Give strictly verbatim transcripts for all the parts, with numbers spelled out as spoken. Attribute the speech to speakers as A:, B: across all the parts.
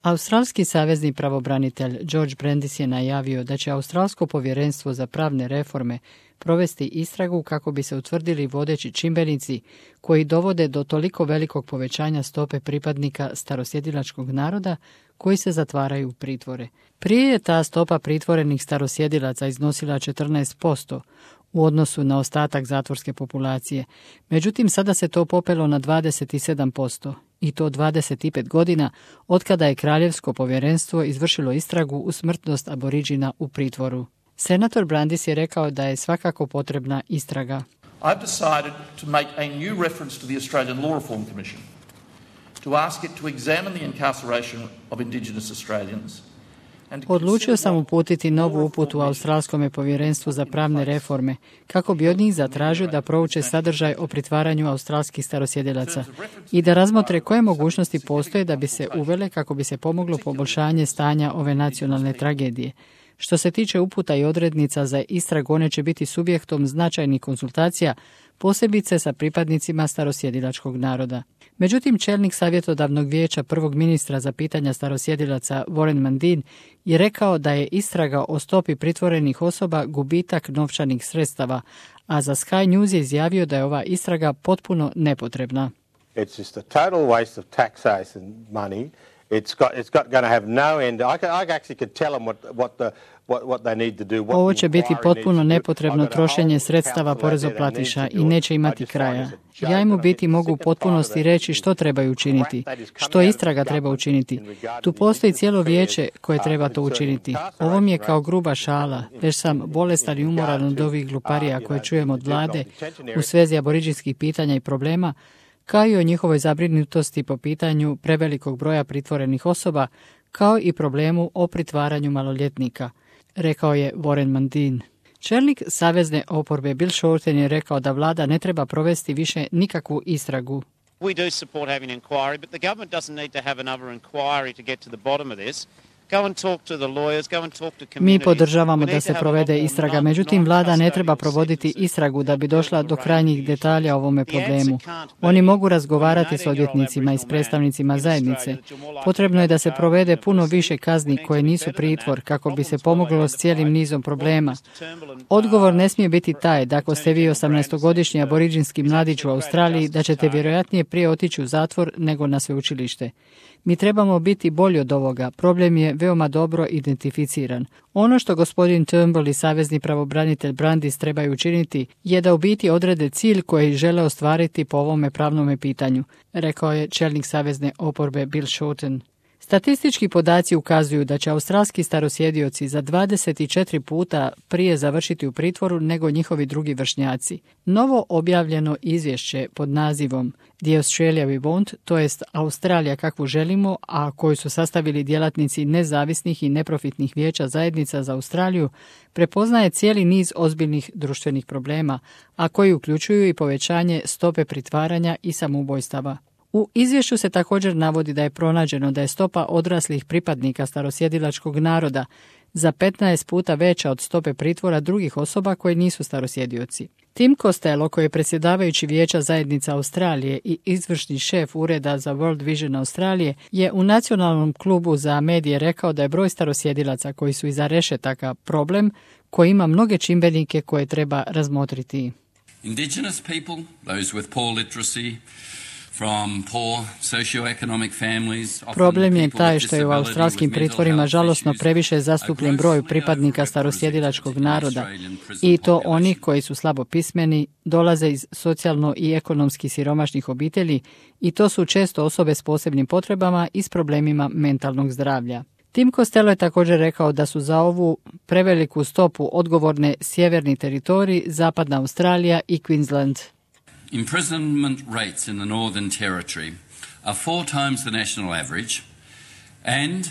A: Australski savezni pravobranitelj George Brandis je najavio da će Australsko povjerenstvo za pravne reforme provesti istragu kako bi se utvrdili vodeći čimbenici koji dovode do toliko velikog povećanja stope pripadnika starosjedilačkog naroda koji se zatvaraju u pritvore. Prije je ta stopa pritvorenih starosjedilaca iznosila četrnaest posto u odnosu na ostatak zatvorske populacije, međutim sada se to popelo na dvadeset sedam posto. I to dvadeset pet godina otkada je Kraljevsko povjerenstvo izvršilo istragu u smrtnost aboriđina u pritvoru. Senator Brandis je rekao da je svakako potrebna istraga.
B: I've decided to make a new reference to the Australian Law Reform Commission to ask it to examine the incarceration of Indigenous Australians.
A: Odlučio sam uputiti novu uputu Australskom povjerenstvu za pravne reforme, kako bi od njih zatražio da prouče sadržaj o pritvaranju australskih starosjedilaca i da razmotre koje mogućnosti postoje da bi se uvele kako bi se pomoglo poboljšanje stanja ove nacionalne tragedije. Što se tiče uputa i odrednica za istragu, one će biti subjektom značajnih konsultacija, posebice sa pripadnicima starosjedilačkog naroda. Međutim, čelnik savjetodavnog vijeća prvog ministra za pitanja starosjedilaca Warren Mundine je rekao da je istraga o stopi pritvorenih osoba gubitak novčanih sredstava, a za Sky News je izjavio da je ova istraga potpuno nepotrebna.
C: It's just a total waste of taxation money. It's got it's got going to have no end. I, I actually could tell them what what the what what they need to do. What
A: Ovo će biti potpuno nepotrebno trošenje sredstava porezoplatiša i neće imati kraja. Ja im u biti mogu u potpunosti reći što trebaju učiniti, što istraga treba učiniti. Tu postoji cijelo vijeće koje treba to učiniti. Ovo mi je kao gruba šala, već sam bolestan i umoran od ovih gluparija koje čujem od vlade u svezi aboriđinskih pitanja i problema, kao i o njihovoj zabrinutosti po pitanju prevelikog broja pritvorenih osoba, kao i problemu o pritvaranju maloljetnika, rekao je Warren Mundine. Čelnik savezne oporbe Bill Shorten je rekao da vlada ne treba provesti više nikakvu istragu.
D: We do support having an inquiry, but the government doesn't need to have another inquiry to get to the bottom of this.
A: Mi podržavamo da se provede istraga, međutim vlada ne treba provoditi istragu da bi došla do krajnjih detalja o ovome problemu. Oni mogu razgovarati s odvjetnicima i s predstavnicima zajednice. Potrebno je da se provede puno više kazni koje nisu pritvor kako bi se pomoglo s cijelim nizom problema. Odgovor ne smije biti taj da ako ste vi osamnaestogodišnji aboriđinski mladić u Australiji da ćete vjerojatnije prije otići u zatvor nego na sveučilište. Mi trebamo biti bolji od ovoga. Problem je veoma dobro identificiran. Ono što gospodin Turnbull i savezni pravobranitelj Brandis trebaju učiniti je da u biti odrede cilj koji žele ostvariti po ovome pravnome pitanju, rekao je čelnik savezne oporbe Bill Shorten. Statistički podaci ukazuju da će australski starosjedioci za dvadeset četiri puta prije završiti u pritvoru nego njihovi drugi vršnjaci. Novo objavljeno izvješće pod nazivom The Australia We Want, to jest Australija kakvu želimo, a koju su sastavili djelatnici nezavisnih i neprofitnih vijeća zajednica za Australiju, prepoznaje cijeli niz ozbiljnih društvenih problema, a koji uključuju i povećanje stope pritvaranja i samoubojstava. U izvješću se također navodi da je pronađeno da je stopa odraslih pripadnika starosjedilačkog naroda za petnaest puta veća od stope pritvora drugih osoba koji nisu starosjedioci. Tim Costello, koji je predsjedavajući vijeća zajednica Australije i izvršni šef ureda za World Vision Australije, je u nacionalnom klubu za medije rekao da je broj starosjedilaca koji su iza rešetaka problem koji ima mnoge čimbenike koje treba razmotriti.
E: Indigenous people, those with poor literacy, from poor socioeconomic families.
A: Problem je taj što je u australskim pritvorima žalosno previše zastupljen broj pripadnika starosjedilačkog naroda i to onih koji su slabo pismeni, dolaze iz socijalno i ekonomski siromašnih obitelji i to su često osobe s posebnim potrebama i s problemima mentalnog zdravlja. Tim Costello je također rekao da su za ovu preveliku stopu odgovorne sjeverni teritorij, zapadna Australija i Queensland.
E: Imprisonment rates in the Northern Territory are four times the national average and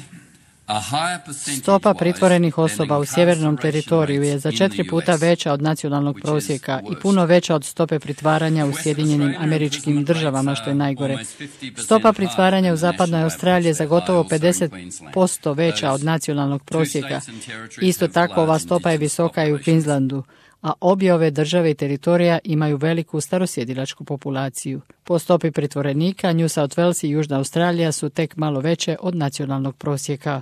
E: a higher percentage.
A: Stopa pritvorenih osoba u sjevernom teritoriju je za četiri puta veća od nacionalnog prosjeka i puno veća od stope pritvaranja u Sjedinjenim Američkim Državama, što je najgore. Stopa pritvaranja u zapadnoj Australiji je za gotovo pedeset posto veća od nacionalnog prosjeka. Isto tako ova stopa je visoka i u Queenslandu, a obje ove države i teritorija imaju veliku starosjedilačku populaciju. Po stopi pritvorenika, New South Wales i Južna Australija su tek malo veće od nacionalnog prosjeka.